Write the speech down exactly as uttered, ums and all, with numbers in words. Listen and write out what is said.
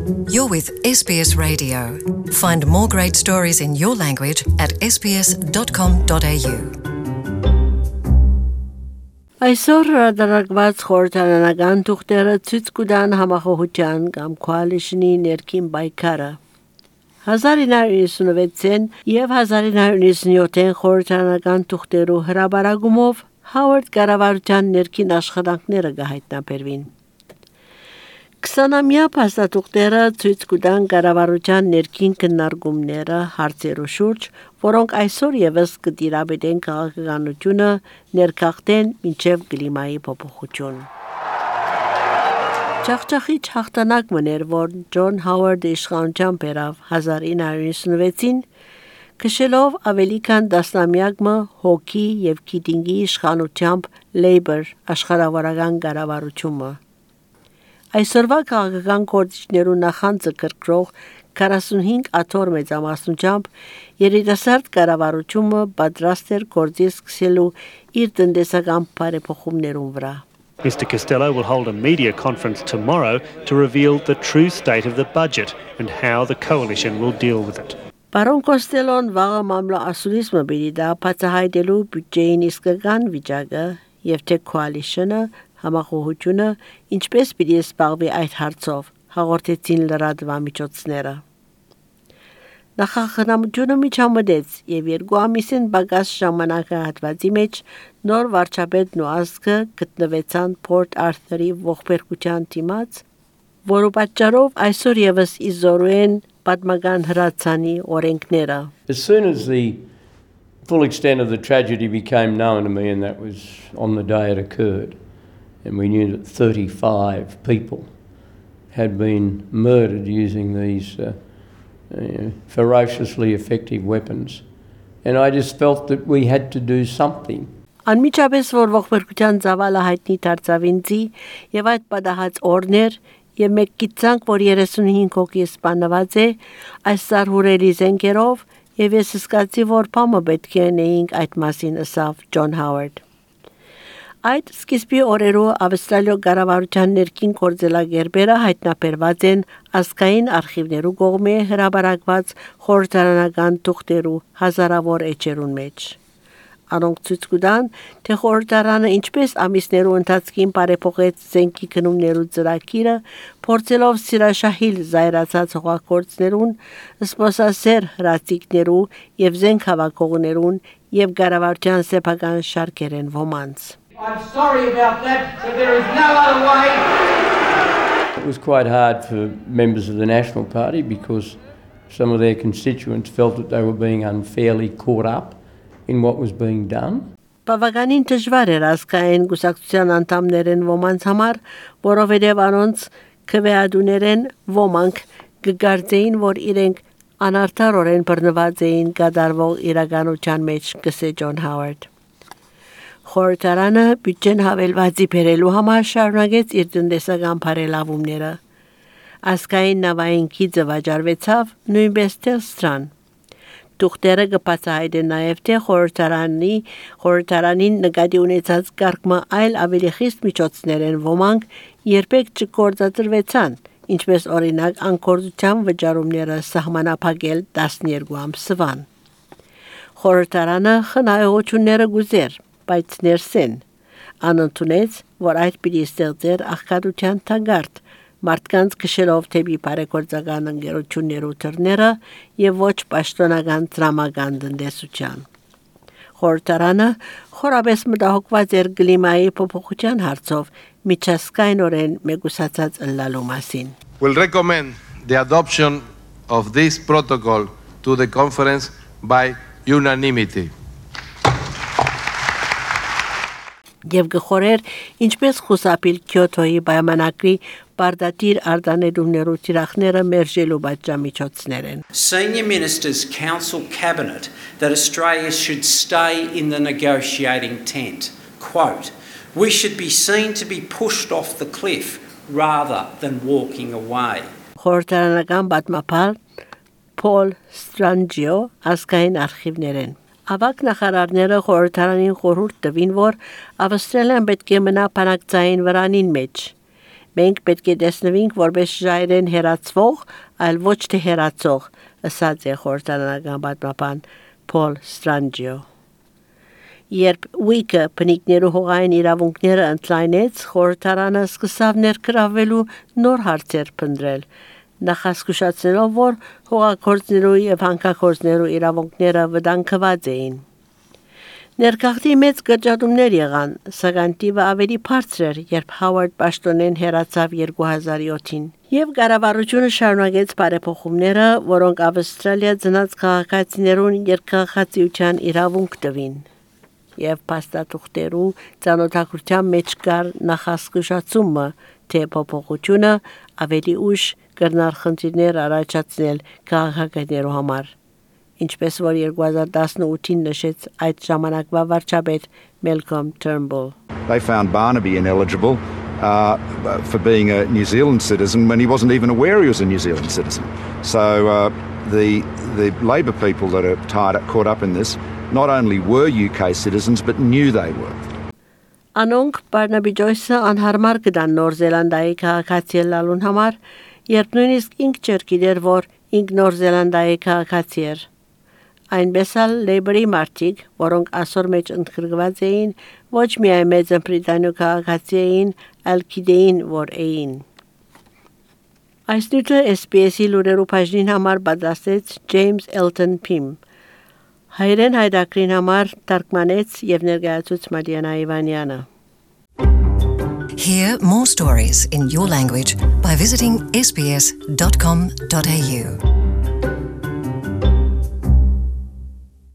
You're with S B S Radio. Find more great stories in your language at s b s dot com dot a u. Այսօր հրադարակված խորհրդարանական թուղթերը ցույց կտան համախոհության կամ coalition-ի ներքին պայքարը։ հազար ինը հարյուր նվեցին եւ հազար ինը հարյուր նվեցին խորհրդարանական թուղթերու հրաբարագումով Հովարդ կառավարության ներքին աշխատանքները գահիտնաբերվին։ քսանամյա փաստաթուղթերը ցույց կտան կառավարության ներքին քննարկումները հարցերու շուրջ, որոնք այսօր եւս կտիրապետեն քաղաքականությունը ներքախտեն մինչև կլիմայի փոփոխություն։ Ճախճախիչ հաղթանակ մներ, որ Ջոն Հովարդը իշխանության բերավ հազար ինը հարյուր նվեցին, քշելով ավելի քան տասնամյակ հոգի եւ քիթինգի իշխանությամբ Labour աշխարհավարական կառավարությունը։ Այսօրվա քաղաքական գործիչներու նախանձը կրկրող քառասունհինգ աթոռ մեծամասնությամբ երիտասարդ կառավարությունը պատրաստ էր գործի սկսելու իր տնտեսական բարեփոխումներուն վրա։ Mister Costello will hold a media conference tomorrow to reveal the true state of the budget and how the coalition will deal with it. Պարոն Կոստելոն վաղը մամլոասուլիսմը բերի դա բացահայտելու բյուջեին իսկական վիճակը եւ թե coalition-ը համախոհությունը ինչպես պիտի զբաղվի այդ հարցով հաղորդեցին լրատվամիջոցները։ Նախախնամությունը միջամտեց եւ երկու ամիսին բագաս ժամանակահատվածի մեջ նոր վարչապետն ու ազգը գտնվեցան Port Arthur-ի ողբերգության դիմաց, որը պատճառով այսօր եւս իզորու են պատմական հրացանի օրենքները։ As soon as the full extent of the tragedy became known to me, and that was on the day it occurred, and we knew that thirty-five people had been murdered using these uh, uh, ferociously effective weapons, and I just felt that we had to do something. Անմիջապես որ ողբերգության ծավալը հայտնի դարձավ ինձի եւ այդ պատահած օրներ եւ մեկ գիտանք, որ երեսունհինգ հոգի սպանված է այս սարհուրելի զենքերով եւ ես սկացի, որ փամը պետք է նեինք այդ մասին ասավ Ջոն Հովարդ։ Այդ սկիզբի օրերու Ավստրալիա կառավարության ներքին գործելագերբերը հայտնաբերված են ազգային արխիվներու կողմէ հրաբարակված խորհրդարանական թուղթերու հազարավոր էջերուն մեջ։ Անոնք ցույց կտան, թե խորհրդարանը ինչպես ամիսներու ընթացքին բարեփոխեց զենքի գնումներու ծրագիրը, փորձելով սիրաշահիլ զայրացած հողագործներուն, սպոսասեր հրացիկներու եւ զենք հավաքողներուն եւ կառավարության սեփական շարքերեն ոմանց։ I'm sorry about that, but there is no other way. It was quite hard for members of the National Party because some of their constituents felt that they were being unfairly caught up in what was being done. Բավականին դժվար էր ազգային գուսակցության անդամներեն ոմանց համար, որովհետև անոնց քվեադուներեն ոմանք կգարձեին, որ իրենք անարդարորեն բռնված էին կատարվող իրականության մեջ, գսե Ջոն Հովարդ։ Խորհրդարանը բյուջեն հավելվածի բերելու համար շարունակեց իր տնտեսական բարելավումները։ Ազգային նավային գիծը վաճառվեցավ նույնպես Telstra-ն։ Թուղթերը կբացահայտեն նաև թե խորհրդարանի խորհրդարանին նկատի ունեցած կարգը այլ ավելի խիստ միջոցներ են ոմանք երբեք չգործադրվեցան, ինչպես օրինակ անկորձության վճարումները սահմանափակել տասներկու ամսվան։ Խորհրդարանը խնայողությունները գուզեր, բայց ներսեն անընդունեց, որ այդ պիտի ստեղծեր աղքատության թագարտ, մարդկանց քշելով թեպի բարեգործական ընկերություններու թռները եւ ոչ պաշտոնական դրամական տնտեսության։ Խորհրդարանը խորաբես մտահոգված էր կլիմայի փոփոխության հարցով միջազգայինորեն մեգուսացած ըլլալու մասին։ Will recommend the adoption of this protocol to the conference by unanimity. Եվ գխորեր ինչպես խուսափիլ Քյոտոյի պայմանագրի բարդատիր արտանետումներու թիրախները մերժելու պատժամիջոցներ են։ Senior Ministers counsel Cabinet that Australia should stay in the negotiating tent. Quote, we should be seen to be pushed off the cliff rather than walking away. Խորհրդարանական պատմապար Paul Strangio ազգային արխիվներ են։ Ավակ նախարարները խորհրդարանին խորհուրդ տվին, որ Ավստրալիան պետք է մնա բանակցային վրանին մեջ։ Մենք պետք է տեսնվենք որպես ժայռեն հերացվող, այլ ոչ թե հերացող, ասաց է խորհրդարանական պատմաբան Փոլ Ստրանջիո։ Երբ Ուիկը բնիկներու հողային իրավունքները ընդլայնեց, խորհրդարանը սկսավ ներգրավվելու նոր հարցեր փնտրել, նախազգուշացնելով, որ հողագործներու եւ հանքագործներու իրավունքները վտանգված էին։ Ներքաղդի մեծ գճատումներ եղան, սակայն տիվը ավելի բարձր էր, երբ Հովարդ պաշտոնեն հեռացավ երկու հազար յոթին, եւ կառավարությունը շարունակեց բարեփոխումները, որոնք Ավստրալիա ծնած քաղաքացիներուն երկխաղացիության իրավունք տվին, եւ փաստաթուղթերու ցանոթակցության մեջ կար նախազգուշացումը, թե փոփոխությունը ավելի ուշ կրնար խնդիրներ առաջացնել քաղաքացիներու համար։ Ինչպես որ երկու հազար տասնութին նշեց այդ ժամանակվա վարչապետ Malcolm Turnbull. They found Barnaby ineligible uh, for being a New Zealand citizen when he wasn't even aware he was a New Zealand citizen. So uh, the the Labor people that are tied up, caught up in this not only were U K citizens but knew they were. Անոնք Barnaby Joyce-ը անհարմար կդան Նոր Զելանդիայի քաղաքացի լալուն համար, երբ նույնիսկ ինք չէր գիտեր, որ ինք Նոր Զելանդիայի քաղաքացի էր։ Այնպես էլ Labour-ի մարդիկ, որոնք ասոր մեջ ընդգրկված էին, ոչ միայն Մեծ Բրիտանիա քաղաքացի էին, այլ գիտեին, որ էին։ Այս նյութը S B S-ի լուրերու բաժնին համար պատասխանեց James Elton Pym։ Հայերեն հայրակրին համար թարգմանեց եւ ներկայացուց Մարիանա Իվանյանը։ Hear more stories in your language by visiting s b s dot com dot a u.